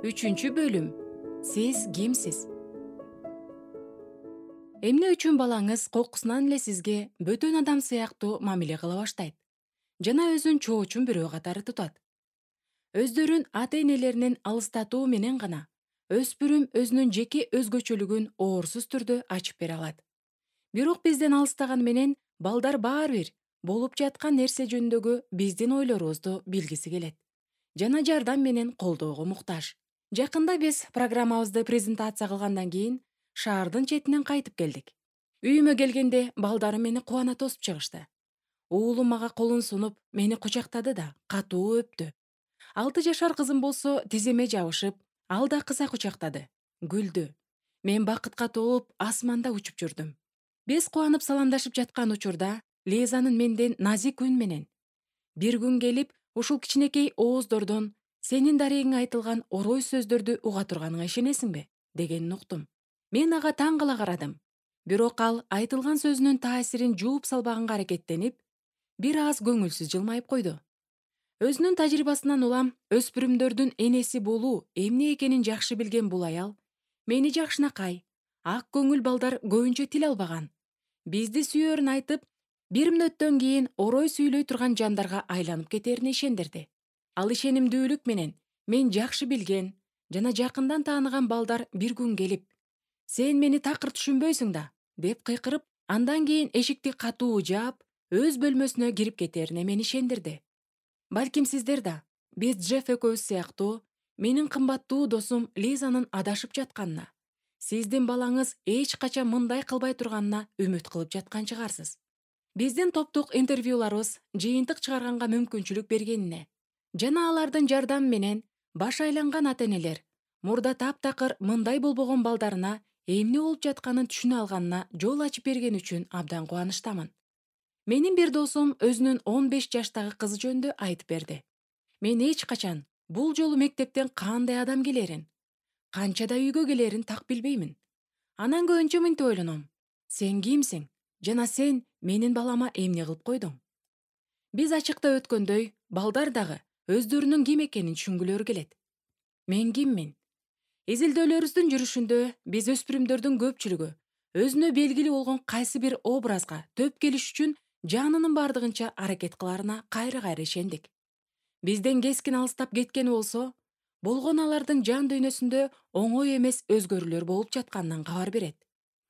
Үчүнчү бөлүм. Сиз кимсиз? Эмне үчүн балаңыз кокусунан эле сизге бөтөн адам сыяктуу мамиле кыла баштайт жана өзүн чоочун бирөө катары тутат? Өздөрүн ата-энелеринен алыстатуу менен гана өспүрүм өзүнүн жеке өзгөчөлүгүн оорсуз түрдө ачып бере алат. Бирок бизден алыстаганы менен балдар баары бир болуп жаткан нерсе жөнүндөгү биздин ойлорубузду билгиси келет жана жардам менен колдоого муктаж. Жакында биз программабызды презентация кылгандан кийин шаардын четинен кайтып келдик. Үйүмө келгенде балдарым мени кубана тосуп чыгышты. Уулум мага колун сунуп, мени кучактады да катуу өптү. 6 жашар кызым болсо тиземе жабышып, ал да кыса кучактады, күлдү. Мен бакытка толуп асманда учуп жүрдүм. Биз кубанып саламдашып жаткан учурда Лизанын менден назик үн менен: "Бир күн келип, ушул кичинекей ооздордон сенин дарегиңе айтылган орой сөздөрдү уга турганыңа ишенесиңби?" дегенин уктум. Мен ага таң кала карадым. Бирок ал айтылган сөзүнүн таасирин жууп салбаганга аракеттенип, бир аз көңүлсүз жылмайып койду. Өзүнүн тажрыйбасынан улам өспүрүмдөрдүн энеси болуу эмне экенин жакшы билген бул аял мени жакшынакай, ак көңүл балдар көбүнчө тил албаган, бизди сүйөрүн айтып, бир мүнөттөн кийин орой сүйлөй турган жандарга айланып кетерине ишендирди. Ал ишенимдүүлүк менен мен жакшы билген жана жакындан тааныган балдар бир күн келип: "Сен мени такыр түшүнбөйсүң да" деп кыйкырып, андан кийин эшикти катуу жаап, өз бөлмөсүнө кирип кетерине мени ишендирди. Балким сиздер да биз Джефф экөөбүз сыяктуу менин кымбаттуу досум Лизанын адашып жатканына, сиздин балаңыз эч качан мындай кылбай турганына үмүт кылып жаткан чыгарсыз. Биздин топтук интервьюларыбыз жыйынтык чыгарганга мүмкүнчүлүк бергенине жана алардын жардамы менен баш айланган ата-энелер мурда таптакыр мындай болбогон балдарына эмне болуп жатканын түшүнө алганына жол ачып бергени үчүн абдан кубанычтамын. Менин бир досум өзүнүн 15 жаштагы кызы жөнүндө айтып берди. Мен эч качан бул жолу мектептен кандай адам келерин, канчада үйгө келерин так билбеймин. Анан көбүнчө мынтип ойлоном: сен кимсиң жана сен менин балама эмне кылып койдуң? Биз ачыкта өткөндөй, балдар дагы өздөрүнүн ким экенин түшүнгүлөрү келет. Мен киммин? Изилдөөлөрүбүздүн жүрүшүндө биз өспүрүмдөрдүн көпчүлүгү өзүнө белгилүү болгон кайсы бир образга төп келиш үчүн жанынын бардыгынча аракет кыларына кайра-кайра ишендик. Бизден кескин алыстап кеткени болсо, болгону алардын жан дүйнөсүндө оңой эмес өзгөрүүлөр болуп жатканынан кабар берет.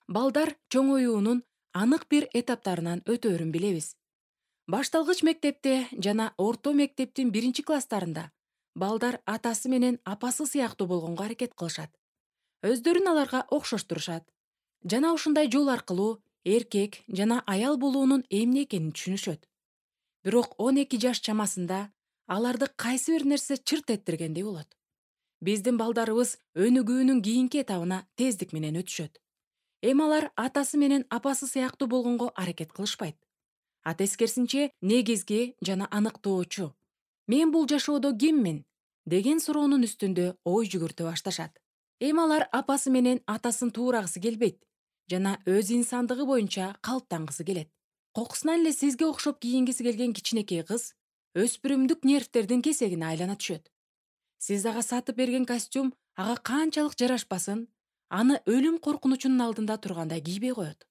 Балдар чоңоюунун анык бир этаптарынан өтөөрүн билебиз. Башталгыч мектепте жана орто мектептин 1-класстарында балдар атасы менен апасы сыяктуу болгонго аракет кылышат. Өздөрүн аларга окшоштурушат жана ушундай жол аркылуу эркек жана аял болуунун эмне экенин түшүнүшөт. Бирок 12 жаш чамасында аларды кайсы бир нерсе чырт эттиргендей болот. Биздин балдарыбыз өнүгүүнүн кийинки этабына тездик менен өтүшөт. Эми алар атасы менен апасы сыяктуу болгонго аракет кылышпайт. А тескерисинче негизги жана аныктоочу: "Мен бул жашоодо киммин?" деген суроонун үстүндө ой жүгүртө башташат. Эми алар апасы менен атасын туурагысы келбейт жана өз инсандыгы боюнча калыптангысы келет. Кокусунан эле сизге окшоп кийингиси келген кичинекей кыз өспүрүмдүк нервтердин кесегине айлана түшөт. Сиз ага сатып берген костюм ага канчалык жарашпасын, аны өлүм коркунучунун алдында тургандай кийбей коет.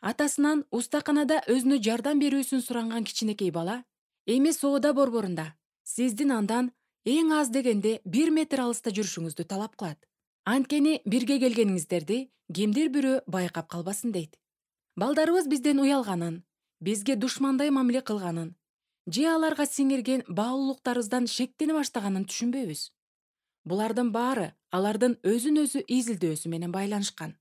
Атасынан устаканада өзүнө жардам берүүсүн суранган кичинекей бала эми соода борборунда сиздин андан эң аз дегенде 1 метр алыста жүрүшүңүздү талап кылат. Анткени бирге келгениңиздерди кимдир бирөө байкап калбасын дейт. Балдарыбыз бизден уялганын, бизге душмандай мамиле кылганын же аларга сиңирген баалуулуктарыбыздан шектене баштаганын түшүнбөйбүз. Булардын баары алардын өзүн өзү изилдөөсү менен байланышкан.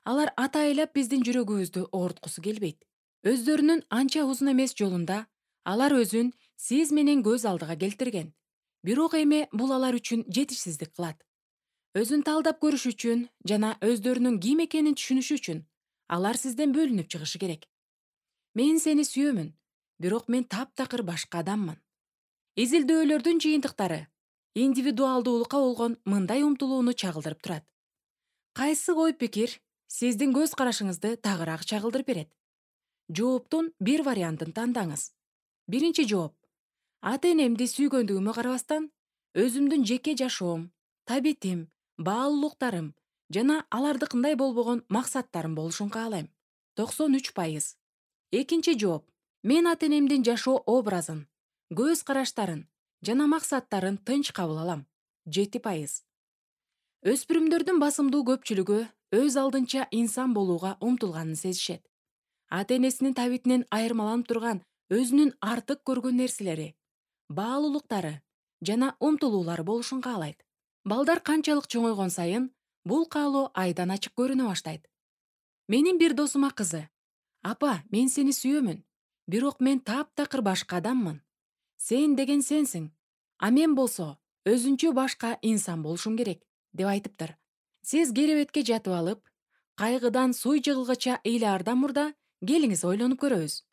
Алар атайлап биздин жүрөгүбүздү ооруткусу келбейт. Өздөрүнүн анча узун эмес жолунда алар өзүн сиз менен көз алдыга келтирген. Бирок эми бул алар үчүн жетишсиздик кылат. Өзүн талдап көрүш үчүн жана өздөрүнүн ким экенин түшүнүш үчүн алар сизден бөлүнүп чыгышы керек. Мен сени сүйөмүн, бирок мен таптакыр башка адаммын. Изилдөөлөрдүн жыйынтыктары индивидуалдуулукка болгон мындай умтулууну чагылдырып турат. Кайсы ой пикир сиздин көз карашыңызды тагыраак чагылдырып берет? Жооптун бир вариантын тандаңыз. Биринчи жооп: ата-энемди сүйгөндүгүмө карабастан, өзүмдүн жеке жашоом, табитим, баалуулуктарым жана алардыкындай болбогон максаттарым болушун каалайм. 93%. Экинчи жооп: мен ата-энемдин жашоо образын, көз караштарын жана максаттарын тынч кабыл алам. 7%. Өспүрүмдөрдүн басымдуу көпчүлүгү өз алдынча инсан болууга умтулганын сезишет. Ата-энесинин табитинен айырмаланып турган өзүнүн артык көргөн нерселери, баалуулуктары жана умтулуулары болушун каалайт. Балдар канчалык чоңойгон сайын бул каалоо айдан ачык көрүнө баштайт. Менин бир досума кызы: "Апа, мен сени сүйөмүн, бирок мен таптакыр башка адаммын. Сен деген сенсиң, а мен болсо өзүнчө башка инсан болушум керек", деп айтыптыр. Сиз керебетке жатып алып, кайгыдан суй жыгылгыча ыйлаардан мурда келиңиз ойлонуп көрөбүз.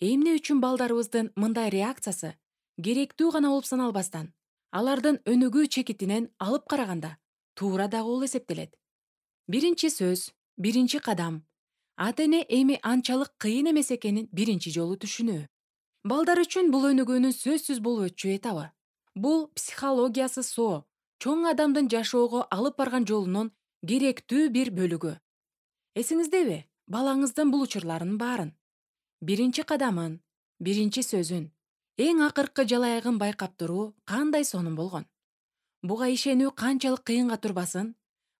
Эмне үчүн балдарыбыздын мындай реакциясы керектүү гана болуп саналбастан, алардын өнүгүү чекитинен алып караганда туура да болуп эсептелет. Биринчи сөз, биринчи кадам. Ата-эне эми анчалык кыйын эмес экенин биринчи жолу түшүнүү. Балдар үчүн бул өнүгүүнүн сөзсүз болбочу этабы. Бул психологиясы соо, чоң адамдын жашоого алып барган жолунун керектүү бир бөлүгү. Эсиңиздеби, балаңыздын бул учурларынын баарын, биринчи кадамын, биринчи сөзүн, эң акыркы жалаягын байкап туруу кандай сонун болгон. Буга ишенүү канчалык кыйынга турбасын,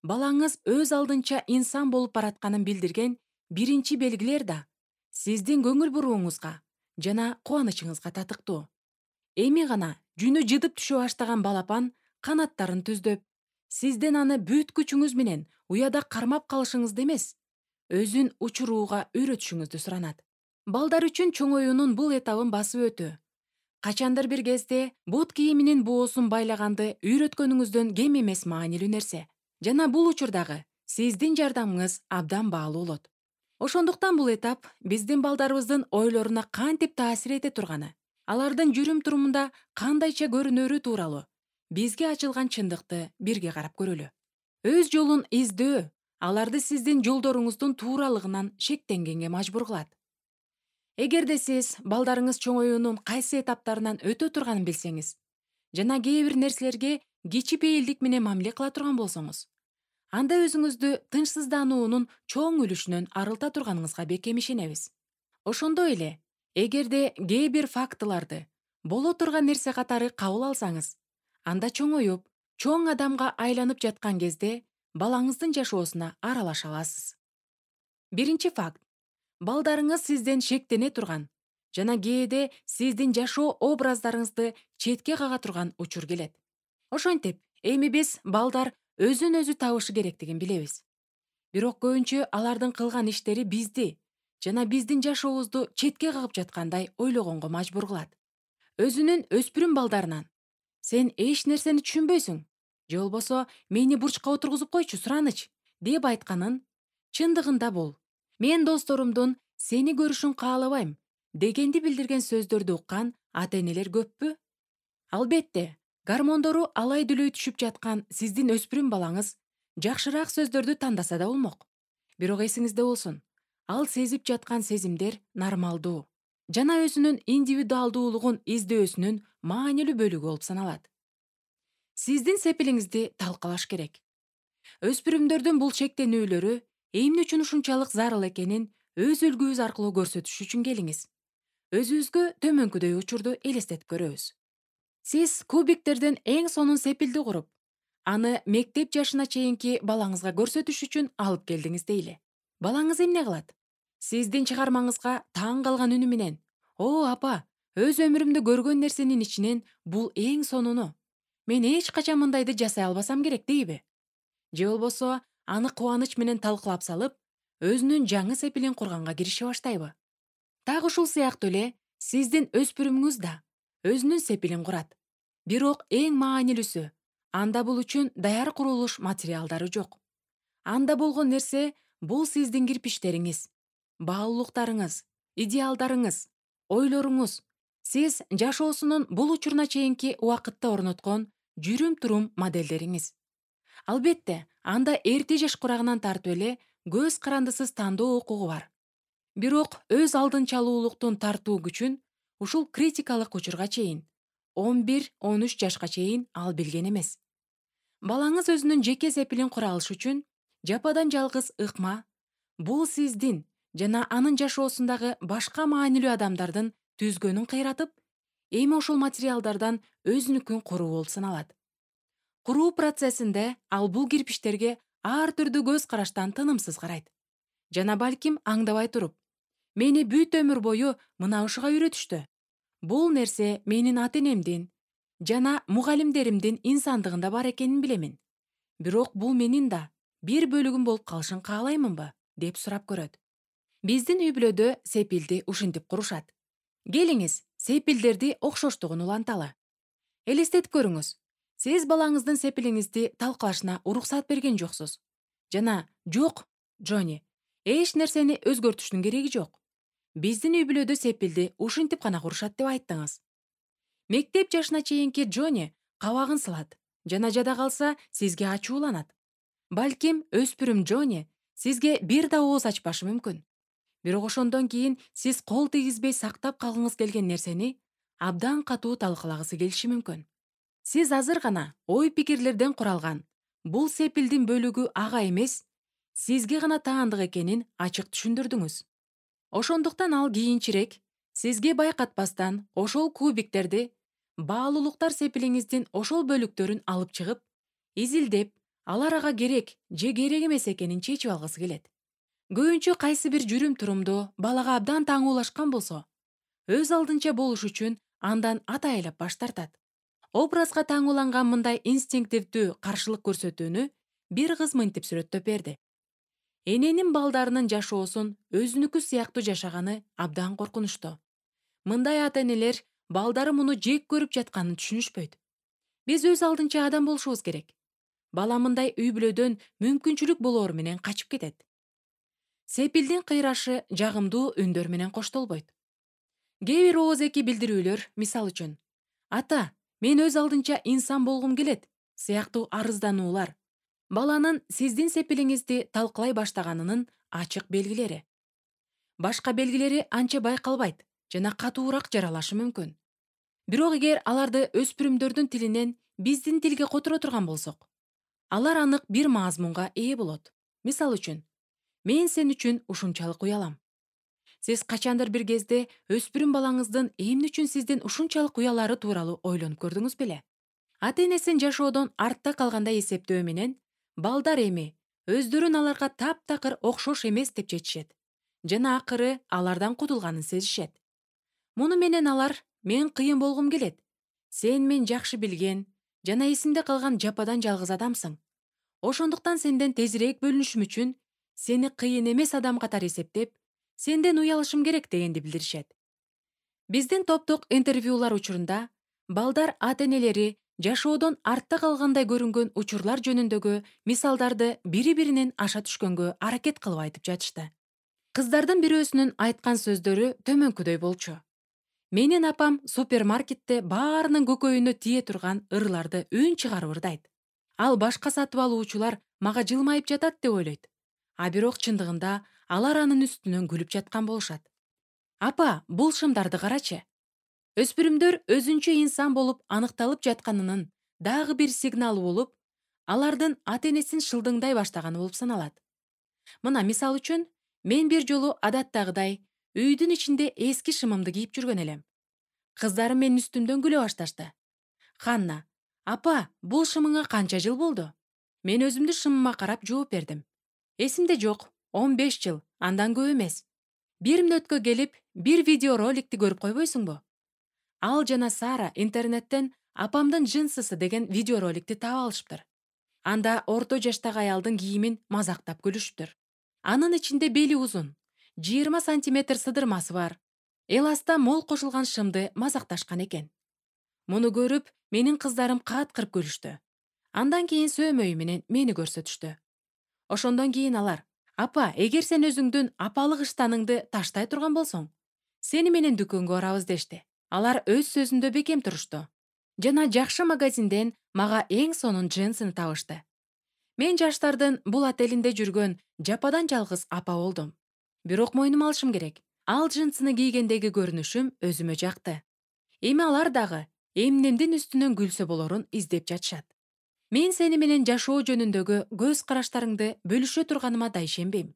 балаңыз өз алдынча инсан болуп баратканын билдирген биринчи белгилер да сиздин көңүл бурууңузга жана кубанычыңызга татыктуу. Эми гана жүнү жыдып түшө баштаган балапан канаттарын түздөп, сизден аны бүт күчүңүз менен уяда кармап калышыңызды эмес, өзүн учурууга үйрөтүшүңүздү суранат. Балдар үчүн чоңоюунун бул этабын басып өтүү. Качандыр бир кезде бут кийиминин боосун байлаганды үйрөткөнүңүздөн кем эмес маанилүү нерсе. Жана бул учурдагы сиздин жардамыңыз абдан баалуу болот. Ошондуктан бул этап биздин балдарыбыздын ойлоруна кантип таасир эте турганы, алардын жүрүм-турумунда кандайча көрүнөрү тууралуу бизге ачылган чындыкты бирге карап көрөлү. Өз жолун издөө аларды сиздин жолдоруңуздун тууралыгынан шектенгенге мажбур кылат. Эгерде сиз балдарыңыз чоңоюунун кайсы этаптарынан өтө турганын билсеңиз жана кээ бир нерселерге кичипейилдик менен мамиле кыла турган болсоңуз, анда өзүңүздү тынчсыздануунун чоң үлүшүнөн арылта турганыңызга бекем ишенебиз. Ошондой эле, эгерде кээ бир фактыларды боло турган нерсе катары кабыл алсаңыз, анда чоңоюп, чоң адамга айланып жаткан кезде балаңыздын жашоосуна аралаша аласыз. Биринчи факт: балдарыңыз сизден шектене турган жана кээде сиздин жашоо образдарыңызды четке кага турган учур келет. Ошентип, эми биз балдар өзүн өзү табышы керектигин билебиз. Бирок көбүнчө алардын кылган иштери бизди жана биздин жашообузду четке кагып жаткандай ойлогонго мажбур кылат. Өзүнүн өспүрүм балдарынан: "Сен эч нерсени түшүнбөйсүң, же болбосо мени бурчка отургузуп койчу, сураныч", деп айтканын, чындыгында бул "Мен досторумдун сени көрүшүн каалабайм" дегенди билдирген сөздөрдү уккан ата-энелер көппү? Албетте, гормондору алай-дүлөй түшүп жаткан сиздин өспүрүм балаңыз жакшыраак сөздөрдү тандаса да болмок. Бирок эсиңизде болсун, ал сезип жаткан сезимдер нормалдуу жана өзүнүн индивидуалдуулугун издөөсүнүн маанилүү бөлүгү болуп саналат. Сиздин сепилиңизди талкалаш керек. Өспүрүмдөрдүн бул чектенүүлөрү эмне үчүн ушунчалык зарыл экенин өз үлгүбүз аркылуу көрсөтүш үчүн келиңиз. Өзүбүзгө төмөнкүдөй учурду элестетип көрөбүз. Сиз кубиктерден эң сонун сепилди куруп, аны мектеп жашына чейинки балаңызга көрсөтүш үчүн алып келдиңиз дейли. Балаңыз эмне кылат? Сиздин чыгармаңызга таң калган үнү менен: "О, апа, өз өмүрүмдө көргөн нерсенин ичинен бул эң сонуну. Мен эч качан мындайды жасай албасам керек", дейби? Же болбосо аны кубаныч менен талкылап салып, өзүнүн жаңы сепилин курганга кирише баштайбы? Так ушул сыяктуу эле сиздин өспүрүмүңүз да өзүнүн сепилин курат. Бирок эң маанилүүсү, анда бул үчүн даяр курулуш материалдары жок. Анда болгон нерсе бул сиздин кирпичтериңиз, баалуулуктарыңыз, идеалдарыңыз, ойлоруңуз, сиз жашоосунун бул учуруна чейинки убакытта орноткон жүрүм-турум моделдериңиз. Албетте, анда эрте жаш курагынан тартып эле көз карандысыз тандоо укугу бар. Бирок өз алдынчалуулуктун тартуу күчүн ушул критикалык учурга чейин, 11-13 жашка чейин ал билген эмес. Балаңыз өзүнүн жеке сепилин кура алыш үчүн жападан жалгыз ыкма бул сиздин жана анын жашоосундагы башка маанилүү адамдардын түзгөнүн кыйратып, эми ошол материалдардан өзүнүкүн куруу болуп саналат. Куруу процессинде ал бул кирпичтерге ар түрдүү көз караштан тынымсыз карайт. Жана балким аңдабай туруп, мени бүт өмүр бою мына ушуга үйрөтүштү. Бул нерсе менин ата-энемдин жана мугалимдеримдин инсандыгында бар экенин билемин. Бирок бул менин да бир бөлүгүм болуп калышын каалаймынбы, деп сурап көрөт. Биздин үй-бүлөдө сепилди ушинтип курушат. Келиңиз, сепилдерди окшоштугун уланталы. Элестетип көрүңүз. Сиз балаңыздын сепилиңизди талкалашына уруксат берген жоксуз. Жана жок, Джонни, эч нерсени өзгөртүштүн кереги жок. Биздин үй-бүлөдө сепилди ушинтип гана курушат деп айттыңыз. Мектеп жашына чейинки Джонни кабагын сылат жана жада калса сизге ачууланат. Балким өспүрүм Джонни сизге бир да ооз ачпашы мүмкүн. Бирок ошондон кийин сиз кол тийгизбей сактап калгыңыз келген нерсени абдан катуу талкалагысы келиши мүмкүн. Сиз азыр гана ой-пикирлерден куралган бул сепилдин бөлүгү ага эмес, сизге гана таандык экенин ачык түшүндүрдүңүз. Ошондуктан ал кийинчерээк сизге байкатпастан ошол кубиктерди баалуулуктар сепилиңиздин ошол бөлүктөрүн алып чыгып, изилдеп, алар ага керек же керек эмес экенин чечип алгысы келет. Көбүнчө кайсы бир жүрүм-турумду балага абдан таңуулашкан болсо, өз алдынча болуш үчүн андан атайлап баш тартат. Образга таңууланган мындай инстинктивдүү каршылык көрсөтүүнү бир кыз мынтип сүрөттөп берди. Эненин балдарынын жашоосун өзүнүкү сыяктуу жашаганы абдан коркунучтуу. Мындай ата-энелер балдары муну жек көрүп жатканын түшүнүшпөйт. Биз өз алдынча адам болушубуз керек. Бала мындай үй-бүлөдөн мүмкүнчүлүк болоору менен качып кетет. Сепилдин кыйрашы жагымдуу үндөр менен коштолбойт. Кээ бир ооз-эки билдирүүлөр, мисалы үчүн, ата, мен өз алдынча инсан болгум келет, сыяктуу арыздануулар, баланын сиздин сепилиңизди талкалай баштаганынын ачык белгилери. Башка белгилери анча байкалбайт жана катуураак жаралашы мүмкүн. Бирок эгер аларды өспүрүмдөрдүн тилинен биздин тилге которо турган болсок, алар анык бир мазмунга ээ болот. Мисалы үчүн, мен сен үчүн ушунчалык уялам. Сиз качандыр бир кезде өспүрүм балаңыздын эмне үчүн сизден ушунчалык уялары тууралуу ойлонуп көрдүңүз беле? Ата-энесин жашоодон артта калгандай эсептөө менен балдар эми өздөрүн аларга таптакыр окшош эмес деп чечишет жана акыры алардан кутулганын сезишет. Муну менен алар мен кыйын болгум келет. Сен мен жакшы билген жана эсимде калган жападан жалгыз адамсың. Ошондуктан сенден тезирээк бөлүнүшүм үчүн сени кыйын эмес адам катары эсептеп, сенден уялышым керек дегенди билдиришет. Биздин топтук интервьюлар учурунда балдар ата-энелери жашоодон артта калгандай көрүнгөн учурлар жөнүндөгү мисалдарды бири-биринен аша түшкөнгө аракет кылып айтып жатышты. Кыздардын бирөөсүнүн айткан сөздөрү төмөнкүдөй болчу. Менин апам супермаркетте баарынын көкөйүнө тие турган ырларды үн чыгарып ырдайт. Ал башка сатып алуучулар мага жылмайып жатат деп ойлойт. А бирок чындыгында алар анын үстүнөн күлүп жаткан болушат. Апа, бул шымдарды карачы. Өспүрүмдөр өзүнчө инсан болуп аныкталып жатканынын дагы бир сигналы болуп, алардын ата-энесин шылдыңдай баштаганы болуп саналат. Мына мисал үчүн, мен бир жолу адаттагыдай үйдүн ичинде эски шымымды кийип жүргөн элем. Кыздарым менин үстүмдөн күлө башташты. Ханна, апа, бул шымыңа канча жыл болду? Мен өзүмдүн шымыма карап жооп бердим. Эсимде жок, 15 жыл, андан көп эмес. Бир мүнөткө келип, бир видеороликти көрүп койбойсуңбу? Ал жана Сара интернеттен апамдын джинсысы деген видеороликти таап алышыптыр. Анда орто жаштагы аялдын кийимин мазактап күлүшүптүр. Анын ичинде бели узун, 20 сантиметр сыдырмасы бар, эласта мол кошулган шымды мазакташкан экен. Муну көрүп, менин кыздарым кааткырып күлүштү. Андан кийин сөөмөйү менен мени көрсөтүштү. Ошондон кийин алар, апа, эгер сен өзүңдүн апалык ыштаныңды таштай турган болсоң, сени менен дүкөнгө барабыз дешти. Алар өз сөзүндө бекем турушту. Жана жакшы магазинден мага эң сонун джинсыны табышты. Мен жаштардын бул отелинде жүргөн жападан жалгыз апа болдум. Бирок мойнума алышым керек. Ал джинсыны кийгендеги көрүнүшүм өзүмө жакты. Эми алар дагы эмнемдин үстүнөн күлсө болорун издеп жатышат. Мен сени менен жашоо жөнүндөгү көз караштарыңды бөлүшө турганыма да ишенбейм.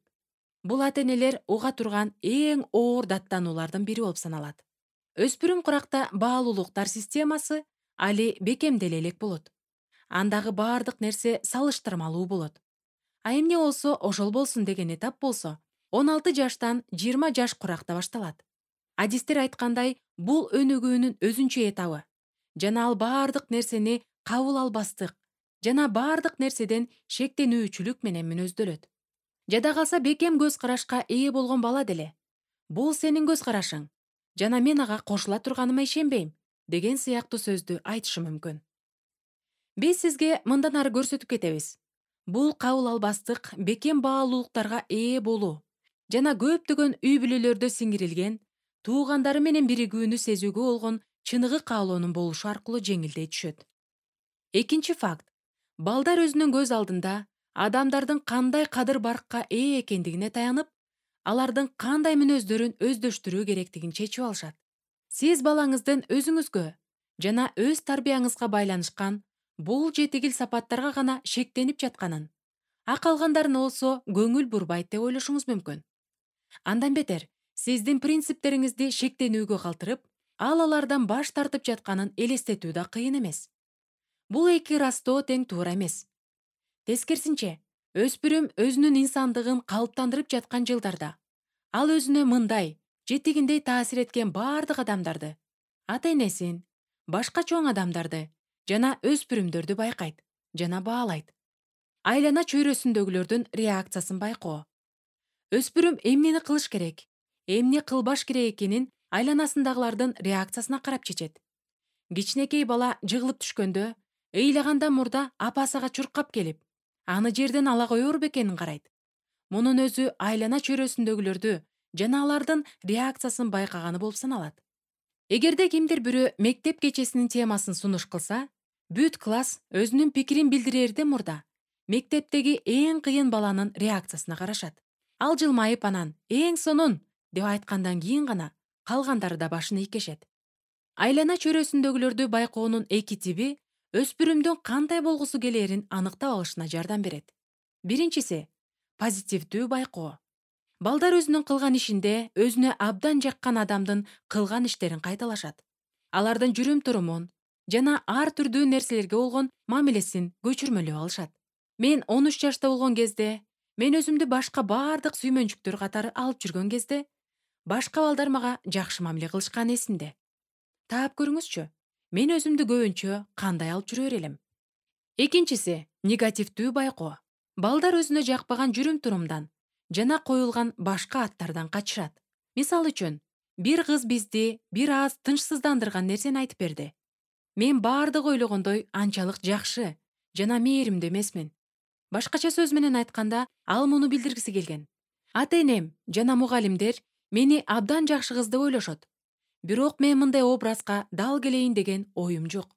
Бул ата-энелер уга турган эң оор даттануулардын бири болуп саналат. Өспүрүм куракта баалуулуктар системасы али бекемделе элек болот. Андагы баардык нерсе салыштырмалуу болот. А эмне болсо ошол болсун деген этап болсо 16 жаштан 20 жаш куракта башталат. Адистер айткандай, бул өнүгүүнүн өзүнчө этабы жана ал баардык нерсени кабыл албастык жана баардык нерседен шектенүүчүлүк менен мүнөздөлөт. Жада калса бекем көз карашка ээ болгон бала деле «Бул сенин көз карашың жана мен ага кошула турганыма ишенбейм» деген сыяктуу сөздү айтышы мүмкүн. Биз сизге мындан ары көрсөтүп кетебиз. Бул кабыл албастык бекем баалуулуктарга ээ болуу жана көптөгөн үй бүлөлөрдө сиңирилген туугандары менен биригүүнү сезүүгө болгон чыныгы каалоонун болушу аркылуу жеңилдей түшөт. Экинчи факт. Балдар өзүнүн көз алдында адамдардын кандай кадыр-баркка ээ экендигине таянып, алардын кандай мүнөздөрүн өздөштүрүү керектигин чечип алышат. Сиз балаңыздын өзүңүзгө жана өз тарбияңызга байланышкан бул жетигил сапаттарга гана шектенип жатканын, а калгандарына болсо көңүл бурбайт деп ойлошуңуз мүмкүн. Андан бетер, сиздин принциптериңизди шектенүүгө калтырып, алардан баш тартып жатканын элестетүү да кыйын эмес. Бул эки ырастоо тең туура эмес. Тескерисинче, өспүрүм өзүнүн инсандыгын калыптандырып жаткан жылдарда ал өзүнө мындай жетигиндей таасир эткен баардык адамдарды, ата-энесин, башка чоң адамдарды жана өспүрүмдөрдү байкайт жана баалайт. Айлана чөйрөсүндөгүлөрдүн реакциясын байкоо. Өспүрүм эмнени кылыш керек, эмне кылбаш керек экенин айланасындагылардын реакциясына карап чечет. Кичинекей бала жыгылып түшкөндө, ыйлагандан мурда апасыга чуркап келип, аны жерден ала коер бекенин карайт. Мунун өзү айлана чөйрөсүндөгүлөрдү жана алардын реакциясын байкаганы болуп саналат. Эгерде кимдир бирөө мектеп кечесинин темасын сунуш кылса, бүт класс өзүнүн пикирин билдирерден мурда мектептеги эң кыйын баланын реакциясына карашат. Ал жылмайып анан «эң сонун» деп айткандан кийин гана калгандары да башын ийкешет. Айлана чөйрөсүндөгүлөрдү байкоонун эки тиби өспүрүмдүн кандай болгусу келерин аныктап алышына жардам берет. Биринчиси — позитивдүү байкоо. Балдар өзүнүн кылган ишинде өзүнө абдан жаккан адамдын кылган иштерин кайталашат. Алардын жүрүм-турумун жана ар түрдүү нерселерге болгон мамилесин көчүрмөлөп алышат. Мен 13 жашта болгон кезде, мен өзүмдү башка баардык сүймөнчүктөр катары алып жүргөн кезде, башка балдар мага жакшы мамиле кылышканы эсимде. Таап көрүңүзчү, мен өзүмдү көбүнчө кандай алып жүрөр элем. Экинчиси — негативдүү байкоо. Балдар өзүнө жакпаган жүрүм-турумдан жана коюлган башка аттардан качышат. Мисалы үчүн, бир кыз бизди бир аз тынчсыздандырган нерсени айтып берди. Мен баардык ойлогондой анчалык жакшы жана мээримдүү эмесмин. Башкача сөз менен айтканда, ал муну билдиргиси келген. Ата-энем жана мугалимдер мени абдан жакшы кыз деп ойлошот. Бирок мен мындай образга дал келейин деген оюм жок.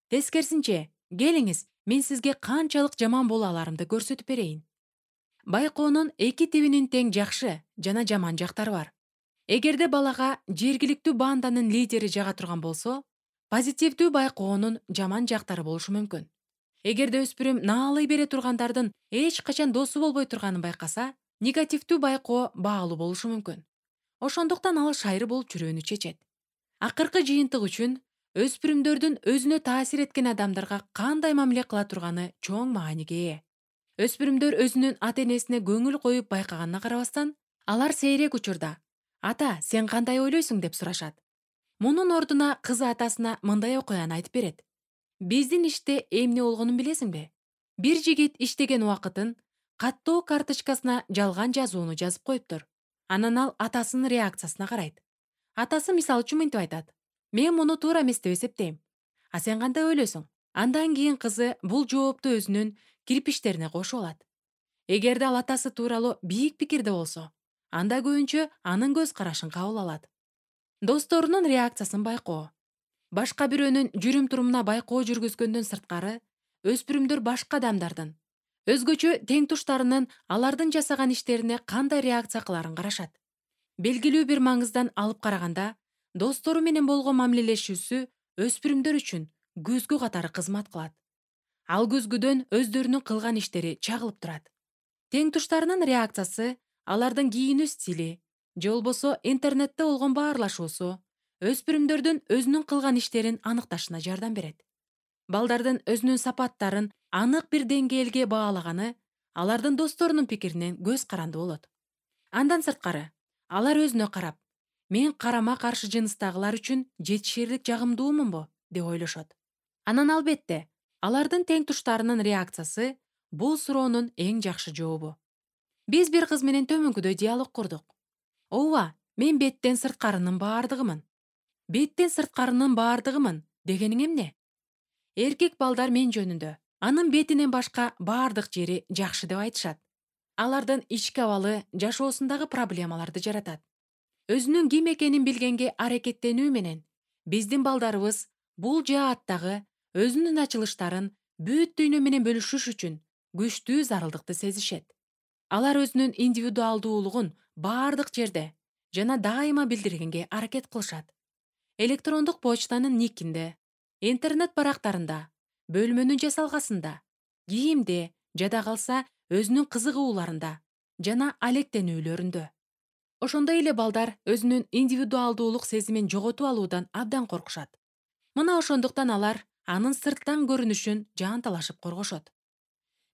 Тескерисинче, келиңиз, мен сизге канчалык жаман боло аларымды көрсөтүп берейин. Байкоонун эки тибинин тең жакшы жана жаман жактары бар. Эгерде балага жергиликтүү банданын лидери жага турган болсо, позитивдүү байкоонун жаман жактары болушу мүмкүн. Эгерде өспүрүм наалый бере тургандардын эч качан досу болбой турганын байкаса, негативдүү байкоо баалуу болушу мүмкүн. Ошондуктан ал шайыр болуп жүрүүнү чечет. Акыркы жыйынтык үчүн өспүрүмдөрдүн өзүнө таасир эткен адамдарга кандай мамиле кыла турганы чоң мааниге ээ. Өспүрүмдөр өзүнүн ата-энесине көңүл коюп байкаганына карабастан, алар сейрек учурда «Ата, сен кандай ойлойсуң?» деп сурашат. Мунун ордуна кызы атасына мындай окуяны айтып берет. «Биздин иште эмне болгонун билесиңби? Бир жигит иштеген убакытын каттоо карточкасына жалган жазууну жазып коюптур. Анан ал атасынын реакциясына карайт. Атасы мисалы үчүн мынтип айтат: «Мен муну туура эмес деп эсептейм. А сен кандай ойлойсуң?» Андан кийин кызы бул жоопту өзүнүн кирпичтерине кошуп алат. Эгерде ал атасы тууралуу бийик пикирде болсо, анда көбүнчө анын көз карашын кабыл алат. Досторунун реакциясын байкоо. Башка бирөөнүн жүрүм-турумуна байкоо жүргүзгөндөн сырткары, өспүрүмдөр башка адамдардын, өзгөчө теңтуштарынын алардын жасаган иштерине кандай реакция кыларын карашат. Белгилүү бир маңыздан алып караганда, достору менен болгон мамилелешүүсү өспүрүмдөр үчүн көзгү катары кызмат кылат. Ал көзгүдөн өздөрүнүн кылган иштери чагылып турат. Тең туштарынын реакциясы, алардын кийинүү стили же болбосо интернетте болгон баарлашуусу өспүрүмдөрдүн өзүнүн кылган иштерин аныкташына жардам берет. Балдардын өзүнүн сапаттарын анык бир деңгээлге баалаганы алардын досторунун пикиринен көз каранды болот. Андан сырткары, алар өзүнө карап, мен карама каршы жыныстагылар үчүн жетишерлик жагымдуумунбу деп ойлошот. Анан албетте, алардын тең туштарынын реакциясы бул суроонун эң жакшы жообу. Биз бир кыз менен төмөнкүдөй диалог курдук. Ооба, мен беттен сырткарынын баардыгымын. Беттен сырткарынын баардыгымын дегениң эмне? Эркек балдар мен жөнүндө анын бетинен башка баардык жери жакшы деп айтышат. Алардын ички абалы жашоосундагы проблемаларды жаратат. Өзүнүн ким экенин билгенге аракеттенүү менен биздин балдарыбыз бул жааттагы өзүнүн ачылыштарын бүт дүйнө менен бөлүшүш үчүн күчтүү зарылдыкты сезишет. Алар өзүнүн индивидуалдуулугун баардык жерде жана дайыма билдиргенге аракет кылышат. Электрондук почтанын никинде, интернет барактарында, бөлмөнүн жасалгасында, кийимде, жада калса өзүнүн кызыгууларында жана алектенүүлөрүндө. Ошондой эле балдар өзүнүн индивидуалдуулук сезимин жоготуп алуудан абдан коркушат. Мына ошондуктан алар анын сырттан көрүнүшүн жаанталашып коргошот.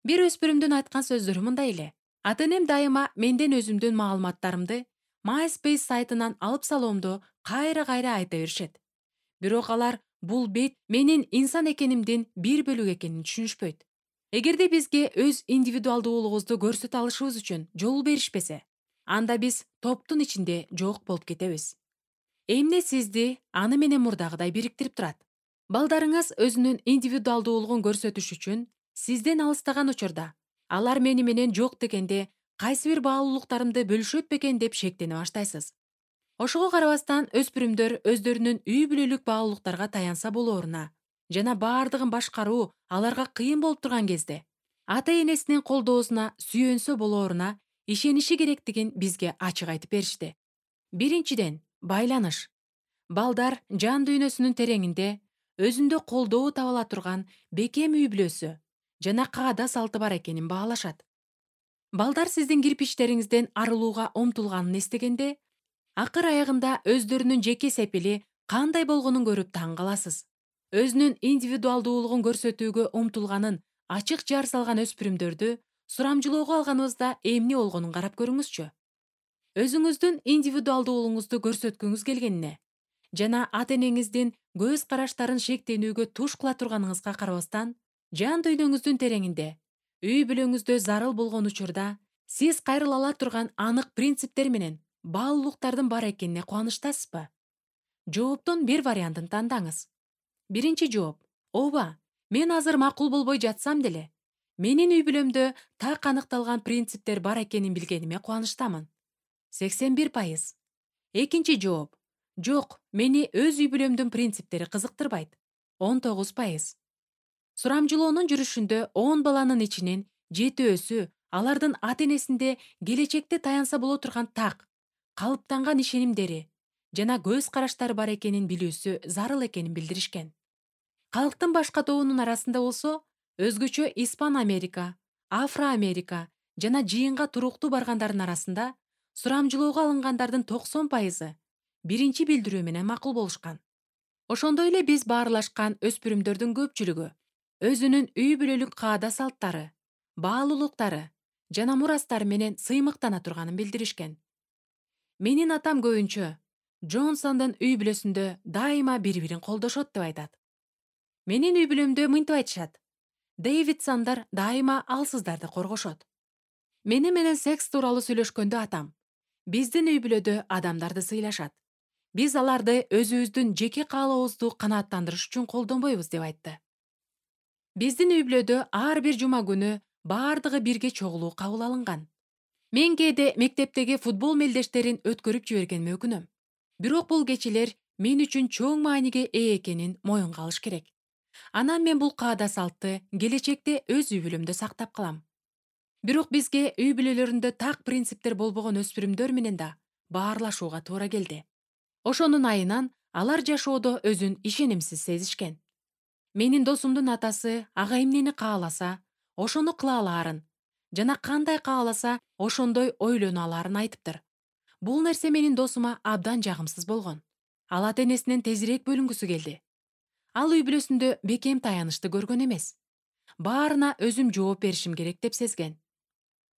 Бир өспүрүмдүн айткан сөздөрү мындай эле: ата-энем дайыма менден өзүмдүн маалыматтарымды MySpace сайтынан алып салуумду кайра-кайра айта беришет. Бирок алар бул бет менин инсан экенимдин бир бөлүгү экенин түшүнүшпөйт. Эгерде бизге өз индивидуалдуулугубузду көрсөтө алышыбыз үчүн жол беришпесе, анда биз топтун ичинде жок болуп кетебиз. Эмне сизди аны менен мурдагыдай бириктирип турат? Балдарыңыз өзүнүн индивидуалдуулугун көрсөтүш үчүн сизден алыстаган учурда, алар мени менен жок дегенде кайсы бир баалуулуктарымды бөлүшөт бекен деп шектене баштайсыз. Ошого карабастан өспүрүмдөр өздөрүнүн үй бүлөлүк баалуулуктарга таянса болооруна жана баардыгын башкаруу аларга кыйын болуп турган кезде ата-энесинин колдоосуна сүйөнсө болооруна ишениши керектигин бизге ачык айтып беришти. Биринчиден, байланыш. Балдар жан дүйнөсүнүн тереңинде өзүндө колдоо таба ала турган бекем үй бүлөсү жана каада салты бар экенин баалашат. Балдар сиздин кирпичтериңизден арылууга умтулганын эстегенде, акыр аягында өздөрүнүн жеке сепили кандай болгонун көрүп таң каласыз. Өзүнүн индивидуалдуулугун көрсөтүүгө умтулганын ачык жар салган өспүрүмдөрдү сурамжылоого алганыбызда эмне болгонун карап көрүңүзчү. Өзүңүздүн индивидуалдуулугуңузду көрсөткүңүз келгенине жана ата-энеңиздин көз караштарын шектенүүгө туш кыла турганыңызга карабастан, жан дүйнөңүздүн тереңинде үй бүлөңүздө зарыл болгон учурда сиз кайрыла ала турган анык принциптер менен баалуулуктардын бар экенине кубанычтасызбы? Жооптун бир вариантын тандаңыз. Биринчи жооп: ооба, мен азыр макул болбой жатсам деле, менин үй бүлөмдө так аныкталган принциптер бар экенин билгениме кубанычтамын. 81%. Экинчи жооп: жок, мени өз үй бүлөмдүн принциптери кызыктырбайт. 19%. Сурамжылоонун жүрүшүндө 10 баланын ичинен 7-өсү алардын ата-энесинде келечекте таянса боло турган так, калыптанган ишенимдери жана көз караштары бар экенин билүүсү зарыл экенин билдиришкен. Калктын башка тобунун арасында болсо, өзгөчө Испан Америка, Афро Америка жана жыйынга туруктуу баргандардын арасында сурамжылоого алынгандардын 90%ы биринчи билдирүү менен макул болушкан. Ошондой эле биз баарлашкан өспүрүмдөрдүн көпчүлүгү өзүнүн үй бүлөлүк каада салттары, баалуулуктары жана мурастары менен сыймыктана турганын билдиришкен. Менин атам көбүнчө Джонсондун үй бүлөсүндө дайыма бири-бирин колдошот деп айтат. Менин үй бүлөмдө мынтип айтышат: Дэвидсондар дайыма алсыздарды коргошот. Мени менен секс тууралуу сүйлөшкөндө атам: биздин үй бүлөдө адамдарды сыйлашат. Биз аларды өзүбүздүн жеке каалообузду канааттандырыш үчүн колдонбойбуз деп айтты. Биздин үй бүлөдө ар бир жума күнү баардыгы бирге чогулуу кабыл алынган. Мен кээде мектептеги футбол мелдештерин өткөрүп жибергениме өкүнөм. Бирок бул кечелер мен үчүн чоң мааниге ээ экенин моюнга алыш керек. Анан мен бул каада салтты келечекте өз үй бүлөмдө сактап калам. Бирок бизге үй бүлөлөрүндө так принциптер болбогон өспүрүмдөр менен да баарлашууга туура келди. Ошонун айынан алар жашоодо өзүн ишенимсиз сезишкен. Менин досумдун атасы ага эмнени кааласа, ошону кыла алаарын жана кандай кааласа, ошондой ойлоно алаарын айтыптыр. Бул нерсе менин досума абдан жагымсыз болгон. Ал ата-энесинен тезирээк бөлүнгүсү келди. Ал үй бүлөсүндө бекем таянычты көргөн эмес. Баарына өзүм жооп беришим керек деп сезген.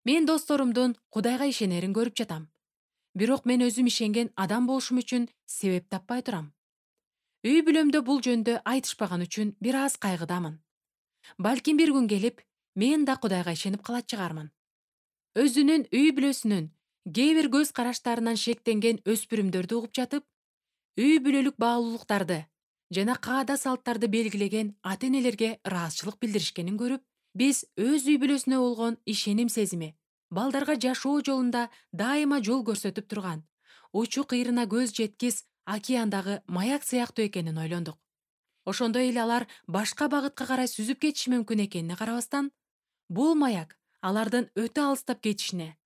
Мен досторумдун Кудайга ишенерин көрүп жатам. Бирок мен өзүм ишенген адам болушум үчүн себеп таппай турам. Үй бүлөмдө бул жөндө айтышпаган үчүн бир аз кайгыдамын. Балким бир күн келип, мен да Кудайга ишенип калат чыгармын. Өзүнүн үй бүлөсүнүн кээ бир көз караштарынан шектенген өспүрүмдөрдү угуп жатып, үй бүлөлүк баалуулуктарды жана каада салттарды белгилеген ата-энелерге ыраазычылык билдиришкенин көрүп, биз өз үй бүлөсүнө болгон ишеним сезими, балдарга жашоо жолунда дайыма жол көрсөтүп турган, учу кыйрына көз жеткис океандагы маяк сыяктуу экенин ойлондук. Ошондой эле алар башка багытка карай сүзүп кетиши мүмкүн экенине карабастан, бул маяк алардын өтө алыстап кетишине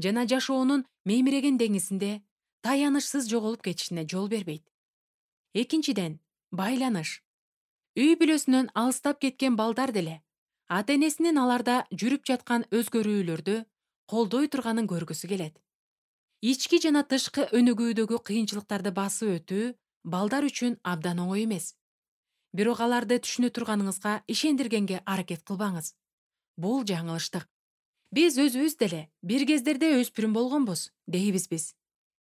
жана жашоонун мемиреген деңизинде таянычсыз жоголуп кетишине жол бербейт. Экинчиден, байланыш. Үй бүлөсүнөн алыстап кеткен балдар деле ата-энесинин аларда жүрүп жаткан өзгөрүүлөрдү колдой турганын көргүсү келет. Ички жана тышкы өнүгүүдөгү кыйынчылыктарды басып өтүү балдар үчүн абдан оңой эмес. Бирок аларды түшүнө турганыңызга ишендиргенге аракет кылбаңыз. Бул жаңылыштык. Биз өзүбүз деле бир кездерде өспүрүм болгонбуз, дейбиз биз.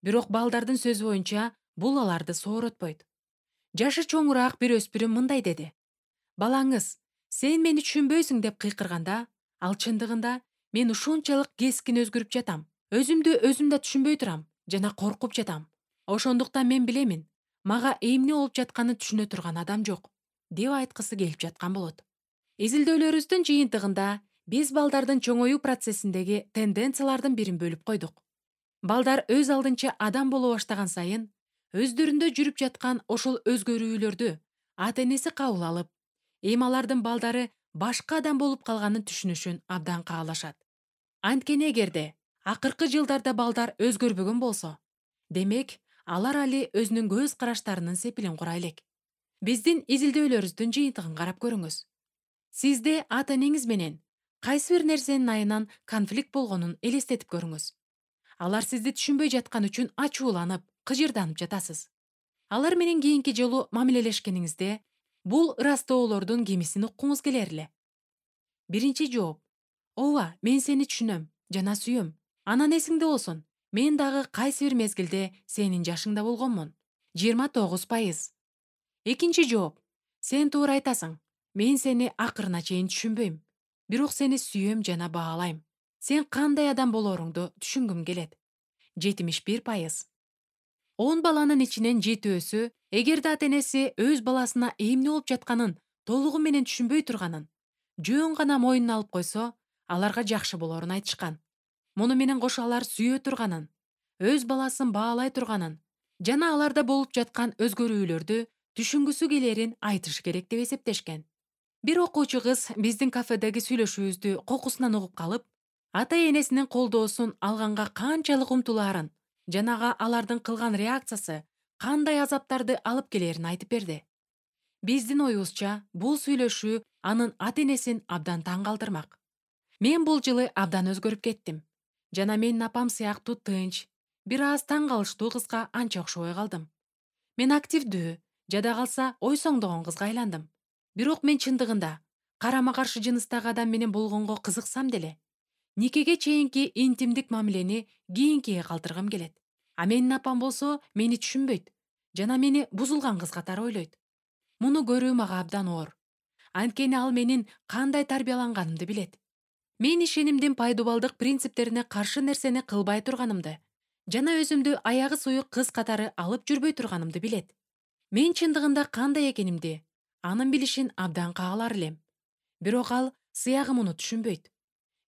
Бирок балдардын сөзү боюнча бул аларды сооротпойт. Жашы чоңураак бир өспүрүм мындай деди: балаңыз, сен мени түшүнбөйсүң деп кыйкырганда, ал чындыгында мен ушунчалык кескин өзгөрүп жатам. Өзүмдү өзүм да түшүнбөй турам жана коркуп жатам. Ошондуктан мен билемин, мага эмне болуп жатканын түшүнө турган адам жок, деп айткысы келип жаткан болот. Изилдөөлөрүбүздүн жыйынтыгында биз балдардын чоңоюу процессиндеги тенденциялардын бирин бөлүп койдук. Балдар өз алдынча адам боло баштаган сайын, өздөрүндө жүрүп жаткан ошол өзгөрүүлөрдү ата-энеси кабыл алып, эми алардын балдары башка адам болуп калганын түшүнүшүн абдан каалашат. Анткени эгерде акыркы жылдарда балдар өзгөрбөгөн болсо, демек алар али өзүнүн көз караштарынын сепилин кура элек. Биздин изилдөөлөрүбүздүн жыйынтыгын карап көрүңүз. Сизде ата-энеңиз менен кайсы бир нерсенин айынан конфликт болгонун элестетип көрүңүз. Алар сизди түшүнбөй жаткан үчүн ачууланып, кыжырданып жатасыз. Алар менен кийинки жолу мамилелешкениңизде бул ыраазтоолордун кимисин уккуңуз келер эле. Биринчи жооп: ооба, мен сени түшүнөм жана сүйөм. Анан эсиңде болсун, мен дагы кайсы бир мезгилде сенин жашыңда болгонмун. 29%. Экинчи жооп: сен туура айтасың. Мен сени акырына чейин түшүнбөйм. Бирок сени сүйөм жана баалайм. Сен кандай адам болоруңду түшүнгүм келет. 71%. 10 баланын ичинен 7-өсү, эгерде ата-энеси өз баласына эмне болуп жатканын толугу менен түшүнбөй турганын, жөн гана мойнуна алып койсо, аларга жакшы болорун айтышкан. Муну менен кошо алар сүйө турганын, өз баласын баалай турганын жана аларда болуп жаткан өзгөрүүлөрдү түшүнгүсү келерин айтыш керек деп эсептешкен. Бир окуучу кыз биздин кафедеги сүйлөшүүбүздү кокусунан угуп калып, ата-энесинин колдоосун алганга канчалык умтулаарын жанага алардын кылган реакциясы кандай азаптарды алып келерин айтып берди. Биздин оюбузча, бул сүйлөшүү анын ата-энесин абдан таң калтырмак. Мен бул жылы абдан өзгөрүп кеттим жана менин апам сыяктуу тынч, бир аз таң калыштуу кызга анча окшобой калдым. Мен активдүү, жада калса ойсоңдогон кызга айландым. Бирок мен чындыгында карама-каршы жыныстагы адам менен болгонго кызыксам деле, никеге чейинки интимдик мамилени кийинкиге калтыргым келет. А менин апам болсо мени түшүнбөйт жана мени бузулган кыз катары ойлойт. Муну көрүү мага абдан оор. Анткени ал менин кандай тарбияланганымды билет. Мен ишенимдин пайдубалдык принциптерине каршы нерсени кылбай турганымды жана өзүмдү аягы суюк кыз катары алып жүрбөй турганымды билет. Мен чындыгында кандай экенимди анын билишин абдан каалар элем. Бирок ал сыягы муну түшүнбөйт.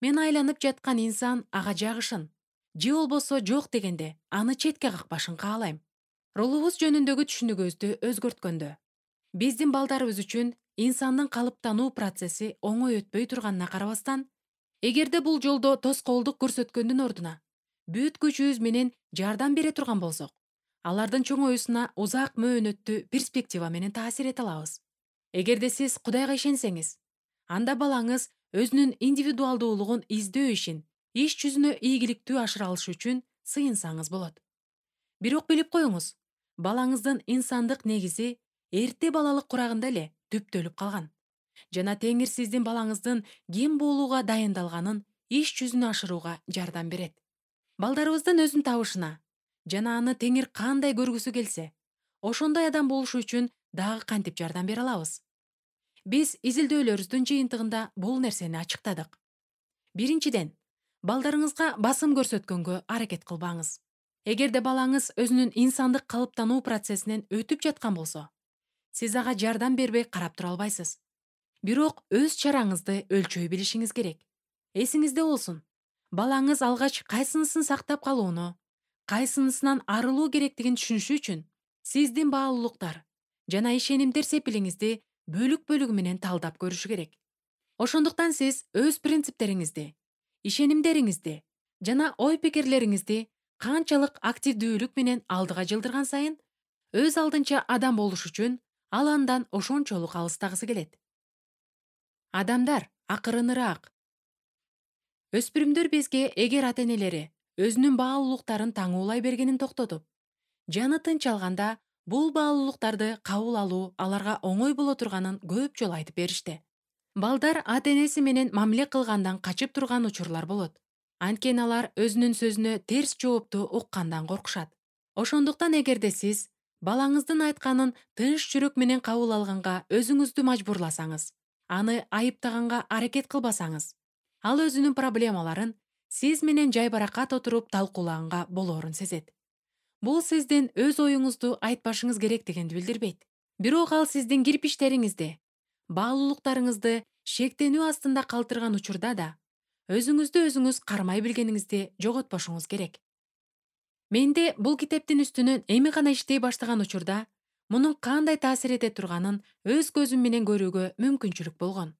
Мен айланып жаткан инсан ага жагышын, же болбосо жок дегенде аны четке какпашын каалайм. Ролубуз жөнүндөгү түшүнүгүбүздү өзгөрткөндө, биздин балдарыбыз үчүн инсандын калыптануу процесси оңой өтпөй турганына карабастан, эгерде бул жолдо тоскоолдук көрсөткөндүн ордуна бүт күчүбүз менен жардам бере турган болсок, алардын чоңоюусуна узак мөөнөттүү перспектива менен таасир эте алабыз. Эгерде сиз Кудайга ишенсеңиз, анда балаңыз өзүнүн индивидуалдуулугун издөө ишин иш жүзүнө ийгиликтүү ашыра алышы үчүн сыйынсаңыз болот. Бирок билип коюңуз, балаңыздын инсандык негизи эрте балалык курагында эле түптөлүп калган. Жана Теңир сиздин балаңыздын ким болууга дайындалганын иш жүзүнө ашырууга жардам берет. Балдарыбыздын өзүн табышына жана аны Теңир кандай көргүсү келсе, ошондой адам болушу үчүн дагы кантип жардам бере алабыз? Биз изилдөөлөрүбүздүн жыйынтыгында бул нерсени ачыктадык. Биринчиден, балдарыңызга басым көрсөткөнгө аракет кылбаңыз. Эгерде балаңыз өзүнүн инсандык калыптануу процессинен өтүп жаткан болсо, сиз ага жардам бербей карап тура албайсыз. Бирок өз чараңызды өлчөй билишиңиз керек. Эсиңизде болсун, балаңыз алгач кайсынысын сактап калууну, кайсынысынан арылуу керектигин түшүнүшү үчүн сиздин баалуулуктар жана ишенимдер сепилиңизди бөлүк-бөлүгү менен талдап көрүшү керек. Ошондуктан сиз өз принциптериңизди, ишенимдериңизди жана ой-пикирлериңизди канчалык активдүүлүк менен алдыга жылдырган сайын, өз алдынча адам болуш үчүн ал андан ошончолук алыстагысы келет. Адамдар акырыныраак. Өспүрүмдөр бизге эгер ата-энелери өзүнүн баалуулуктарын таңуулай бергенин токтотуп, жаны тынч алганда бул баалуулуктарды кабыл алуу аларга оңой боло турганын көп жолу айтып беришти. Балдар ата-энеси менен мамиле кылгандан качып турган учурлар болот. Анткени алар өзүнүн сөзүнө терс жоопту уккандан коркушат. Ошондуктан эгерде сиз балаңыздын айтканын тынч жүрөк менен кабыл алганга өзүңүздү мажбурласаңыз, аны айыптаганга аракет кылбасаңыз, ал өзүнүн проблемаларын сиз менен жайбаракат отуруп талкуулаганга болоорун сезет. Бул сиздин өз оюңузду айтпашыңыз керектигинди билдирбейт. Бирок ал сиздин кирпичтериңизди, баалуулуктарыңызды шектенүү астында калтырган учурда да өзүңүздү өзүңүз кармай билгениңизди жоготпошуңуз керек. Менде бул китептин үстүнөн эми гана иштей баштаган учурда мунун кандай таасир эте турганын өз көзүм менен көрүүгө мүмкүнчүлүк болгон.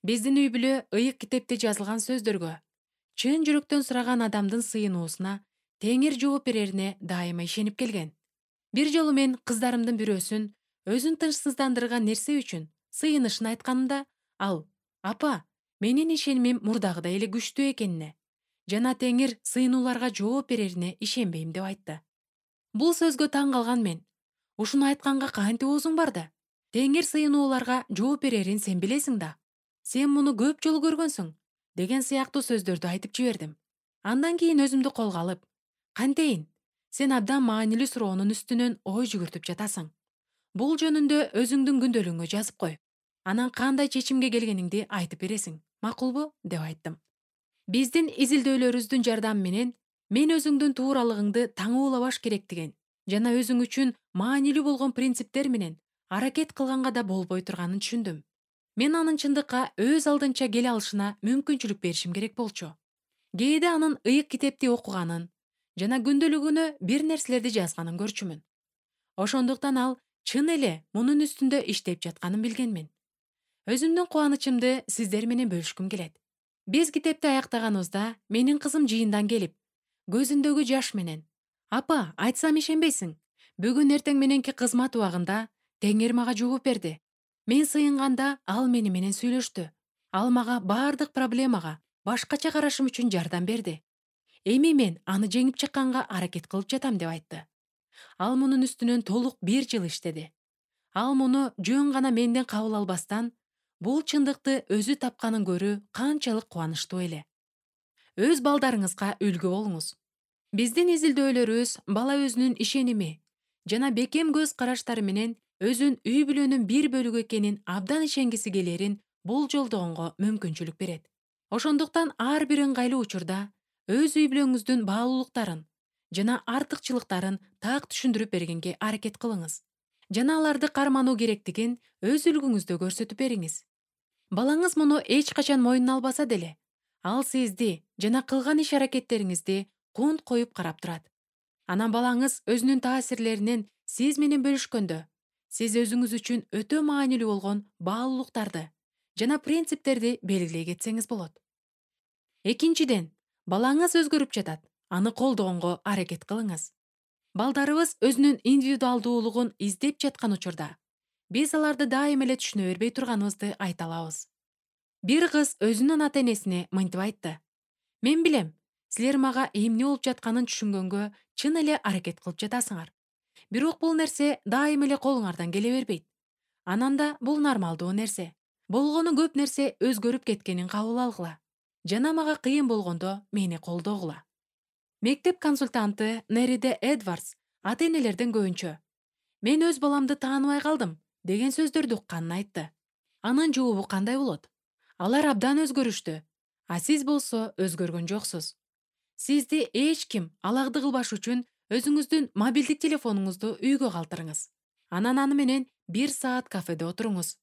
Биздин үй бүлө ыйык китепте жазылган сөздөргө, чын жүрөктөн сураган адамдын сыйынуусуна Теңир жооп берерине дайыма ишенип келген. Бир жолу мен кыздарымдын бирөөсүн өзүн тынчсыздандырган нерсе үчүн сыйынышын айтканымда, ал: "Апа, менин ишенимим мурдагыдай эле күчтүү экенине жана Теңир сыйынууларга жооп берерине ишенбейм" деп айтты. Бул сөзгө таң калган мен: "Ушуну айтканга кантип оозуң барды? Теңир сыйынууларга жооп берерин сен билесиң да. Сен муну көп жолу көргөнсүң" деген сыяктуу сөздөрдү айтып жибердим. Андан кийин өзүмдү колго алып: "Кантейин? Сен абдан маанилүү суроонун үстүнөн ой жүгүртүп жатасың. Бул жөнүндө өзүңдүн күндөлүгүңө жазып кой. Анан кандай чечимге келгениңди айтып бересиң. Макулбу?" деп айттым. Биздин изилдөөлөрүбүздүн жардамы менен мен өзүңдүн тууралыгыңды таңуулабаш керектигин жана өзүң үчүн маанилүү болгон принциптер менен аракет кылганга да болбой турганын түшүндүм. Мен анын чындыкка өз алдынча келе алышына мүмкүнчүлүк беришим керек болчу. Кээде анын ыйык китепти окуганын жана күндөлүгүнө бир нерселерди жазганын көрчүмүн. Ошондуктан ал чын эле мунун үстүндө иштеп жатканын билгенмин. Өзүмдүн кубанычымды сиздер менен бөлүшкүм келет. Биз китепти аяктаганыбызда менин кызым жыйындан келип, көзүндөгү жаш менен: "Апа, айтсам ишенбейсиң. Бүгүн эртең мененки кызмат убагында Теңир мага жооп берди. Мен сыйынганда ал мени менен сүйлөштү. Ал мага бардык проблемага башкача карашым үчүн жардам берди. Эми мен аны жеңип чыкканга аракет кылып жатам" деп айтты. Ал мунун үстүнөн толук 1 жыл иштеди. Ал муну жөн гана менден кабыл албастан, бул чындыкты өзү тапканын көрүү канчалык кубанычтуу эле. Өз балдарыңызга үлгү болуңуз. Биздин изилдөөлөрүбүз бала өзүнүн ишеними жана бекем көз караштары менен өзүн үй бүлөнүн бир бөлүгү экенин абдан ишенгиси келерин болжолдогонго мүмкүнчүлүк берет. Ошондуктан ар бир ыңгайлуу учурда өз үй бүлөңүздүн баалуулуктарын жана артыкчылыктарын так түшүндүрүп бергенге аракет кылыңыз. Жана аларды кармануу керектигин өз үлгүңүздө көрсөтүп бериңиз. Балаңыз муну эч качан мойнуна албаса деле, ал сизди жана кылган иш-аракеттериңизди кунт коюп карап турат. Анан балаңыз өзүнүн таасирлеринен сиз менен бөлүшкөндө, сиз өзүңүз үчүн өтө маанилүү болгон баалуулуктарды жана принциптерди белгилей кетсеңиз болот. Экинчиден, балаңыз өзгөрүп жатат, аны колдогонго аракет кылыңыз. Балдарыбыз өзүнүн индивидуалдуулугун издеп жаткан учурда, Биз аларды дайым эле түшүнө бербей турганыбызды айта алабыз. Бир кыз өзүнүн ата энесине мынтип айтты: мен билем, силер мага эмне болуп жатканын түшүнгөнгө чын эле аракет кылып жатасыңар. Бирок бул нерсе дайым эле колуңардан келе бербейт. Анан да бул нормалдуу нерсе. Болгону көп нерсе өзгөрүп кеткенин кабыл алгыла. Жана мага кыйын болгондо мени колдогула. Мектеп консультанты Нериде Эдвардс ата энелерден көбүнчө "мен өз баламды тааныбай калдым" деген сөздөрдү укканын айтты. Анын жообу кандай болот? Алар абдан өзгөрүштү, а сиз болсо өзгөргөн жоксуз. Сизди эч ким алагды кылбаш үчүн өзүңүздүн мобилдик телефонуңузду үйгө калтырыңыз. Анан аны менен 1 саат кафеде отуруңуз.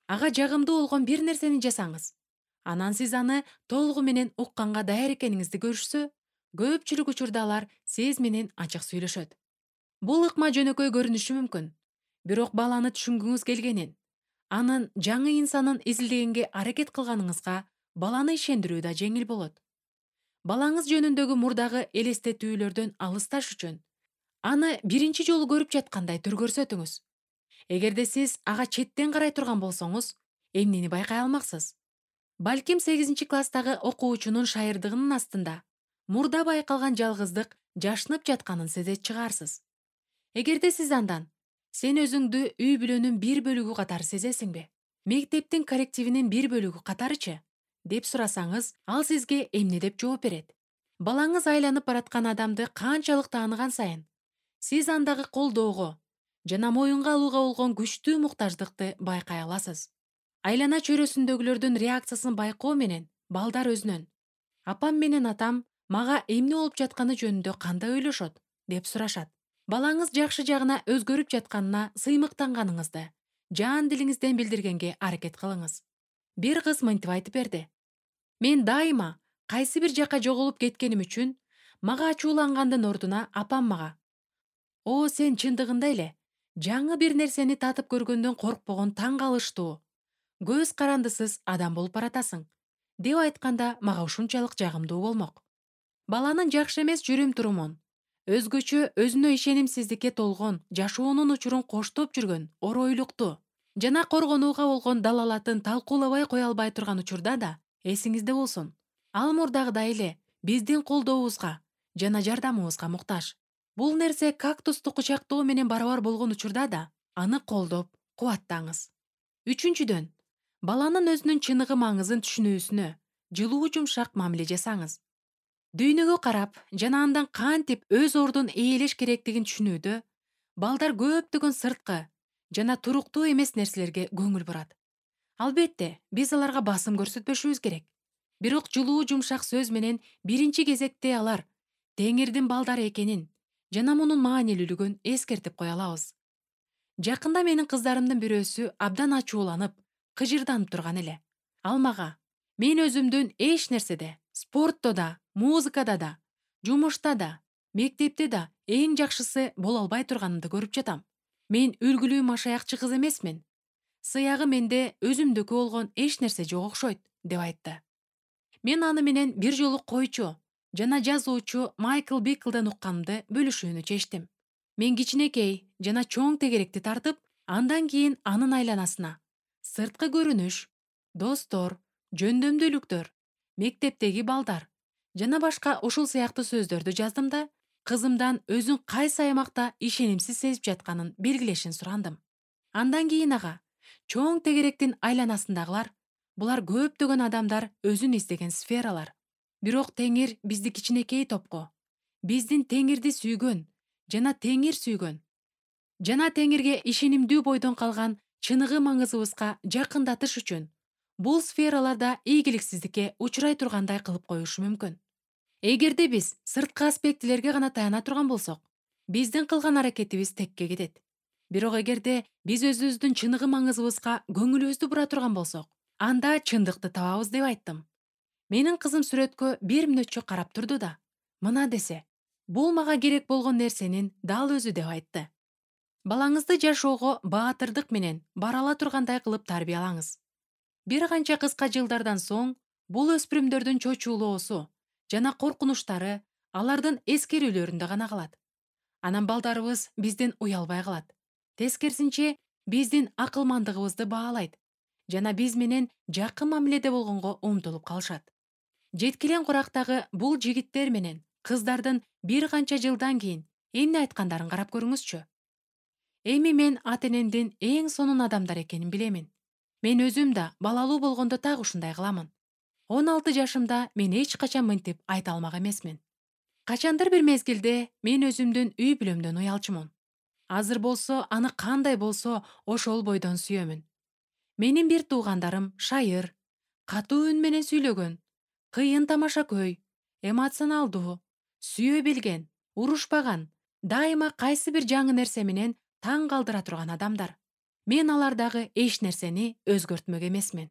Ага жагымдуу болгон бир нерсени жасаңыз. Анан сиз аны толугу менен укканга даяр экениңизди көрүшсө, көпчүлүк учурда алар сиз менен ачык сүйлөшөт. Бул ыкма жөнөкөй көрүнүшү мүмкүн, бирок баланы түшүнгүңүз келгенин, анын жаңы инсанын изилдегенге аракет кылганыңызга баланы ишендирүү да жеңил болот. Балаңыз жөнүндөгү мурдагы элестетүүлөрдөн алысташ үчүн аны биринчи жолу көрүп жаткандай түр көрсөтүңүз. Эгерде сиз ага четтен карай турган болсоңуз, эмнени байкай алмаксыз? Балким 8-класстагы окуучунун шайырдыгынын астында мурда байкалган жалгыздык жашынып жатканын сезет чыгарсыз. Эгерде сиз андан сен өзүңдү үй бүлөнүн бир бөлүгү катары сезесиңби? Мектептин коллективинин бир бөлүгү катарычы? Деп сурасаңыз, ал сизге эмне деп жооп берет? Балаңыз айланып бараткан адамды канчалык тааныган сайын, сиз андагы колдоого жана моюнга алууга болгон күчтүү муктаждыкты байкай аласыз. Айлана чөйрөсүндөгүлөрдүн реакциясын байкоо менен балдар өзүнөн "апам менен атам мага эмне болуп жатканы жөнүндө кандай ойлошот?" деп сурашат. Балаңыз жакшы жагына өзгөрүп жатканына сыймыктанганыңызды жан дилиңизден билдиргенге аракет кылыңыз. Бир кыз мынтип айтып берди: мен дайыма кайсы бир жакка жоголуп кеткеним үчүн мага ачуулангандын ордуна апам мага "О, сен чындыгында эле жаңы бир нерсени татып көргөндөн коркпогон таң калыштуу, көз карандысыз адам болуп баратасың" деп айтканда мага ушунчалык жагымдуу болмок. Баланын жакшы эмес жүрүм-турумун, өзгөчө өзүнө ишенимсиздикке толгон жашоонун учурун коштоп жүргөн оройлукту жана коргонууга болгон далалатын талкуулабай кое албай турган учурда да эсиңизде болсун. Ал мурдагыдай эле биздин колдообузга жана жардамыбызга муктаж. Бул нерсе кактусту кучактоо менен барабар болгон учурда да аны колдоп, кубаттаңыз. Үчүнчүдөн, баланын өзүнүн чыныгы маңызын түшүнүүсүнө жылуу жумшак мамиле жасаңыз. Дүйнөгө карап жана андан кантип өз ордун ээлеш керектигин түшүнүүдө балдар көптөгөн сырткы жана туруктуу эмес нерселерге көңүл бурат. Албетте, биз аларга басым көрсөтпөшүбүз керек. Бирок жылуу жумшак сөз менен биринчи кезекте алар Теңирдин балдары экенин жана мунун маанилүүлүгүн эскертип кое алабыз. Жакында менин кыздарымдын бирөөсү абдан ачууланып, кыжырданып турган эле. Ал мага "мен өзүмдүн эч нерседе, спортто да, музыкада да, жумушта да, мектепте да эң жакшысы боло албай турганымды көрүп жатам. Мен үлгүлүү машаякчы кыз эмесмин. Сыягы менде өзүмдүкү болгон эч нерсе жок окшойт" деп айтты. Мен аны менен бир жолу койчу жана жазуучу Майкл Биклден укканымды бөлүшүүнү чечтим. Мен кичинекей жана чоң тегеректи тартып, андан кийин анын айланасына сырткы көрүнүш, достор, жөндөмдүүлүктөр, мектептеги балдар жана башка ушул сыяктуу сөздөрдү жаздым да, кызымдан өзүн кайсы аймакта ишенимсиз сезип жатканын белгилешин сурандым. Андан кийин ага чоң тегеректин айланасындагылар булар көптөгөн адамдар өзүн издеген сфералар. Бирок Теңир бизди кичинекей топко, биздин Теңирди сүйгөн жана Теңир сүйгөн жана Теңирге ишенимдүү бойдон калган чыныгы маңызыбызга жакындатыш үчүн бул сфераларда ийгиликсиздикке учурай тургандай кылып коюшу мүмкүн. Эгерде биз сырткы аспектилерге гана таяна турган болсок, биздин кылган аракетибиз текке кетет. Бирок эгерде биз өзүбүздүн чыныгы маңызыбызга көңүлүбүздү бура турган болсок, анда чындыкты табабыз деп айттым. Менин кызым сүрөткө бир мүнөтчө карап турду да, мына десе, бул мага керек болгон нерсенин дал өзү деп айтты. Балаңызды жашоого баатырдык менен бара ала тургандай кылып тарбиялаңыз. Бир канча кыска жылдардан соң бул өспүрүмдөрдүн чочуулоосу жана коркунучтары алардын эскерүүлөрүндө гана калат. Анан балдарыбыз бизден уялбай калат. Тескерисинче, биздин акылмандыгыбызды баалайт жана биз менен жакын мамиледе болгонго умтулуп калышат. Жеткилен курактагы бул жигиттер менен кыздардын бир канча жылдан кийин эмне айткандарын карап көрүңүзчү. Эми мен ата энемдин эң сонун адамдар экенин билемин. Мен өзүм да балалуу болгондо так ушундай кыламын. 16 жашымда мен эч качан мынтип айта алмак эмесмин. Качандыр бир мезгилде мен өзүмдүн үй бүлөмдөн уялчумун. Азыр болсо аны кандай болсо ошол бойдон сүйөмүн. Менин бир туугандарым шайыр, катуу үн менен сүйлөгөн, кыйын тамашакөй, эмоционалдуу, сүйө билген, урушпаган, дайыма кайсы бир жаңы нерсе менен таң калтыра турган адамдар. Мен алардагы эч нерсени өзгөртмөк эмесмин.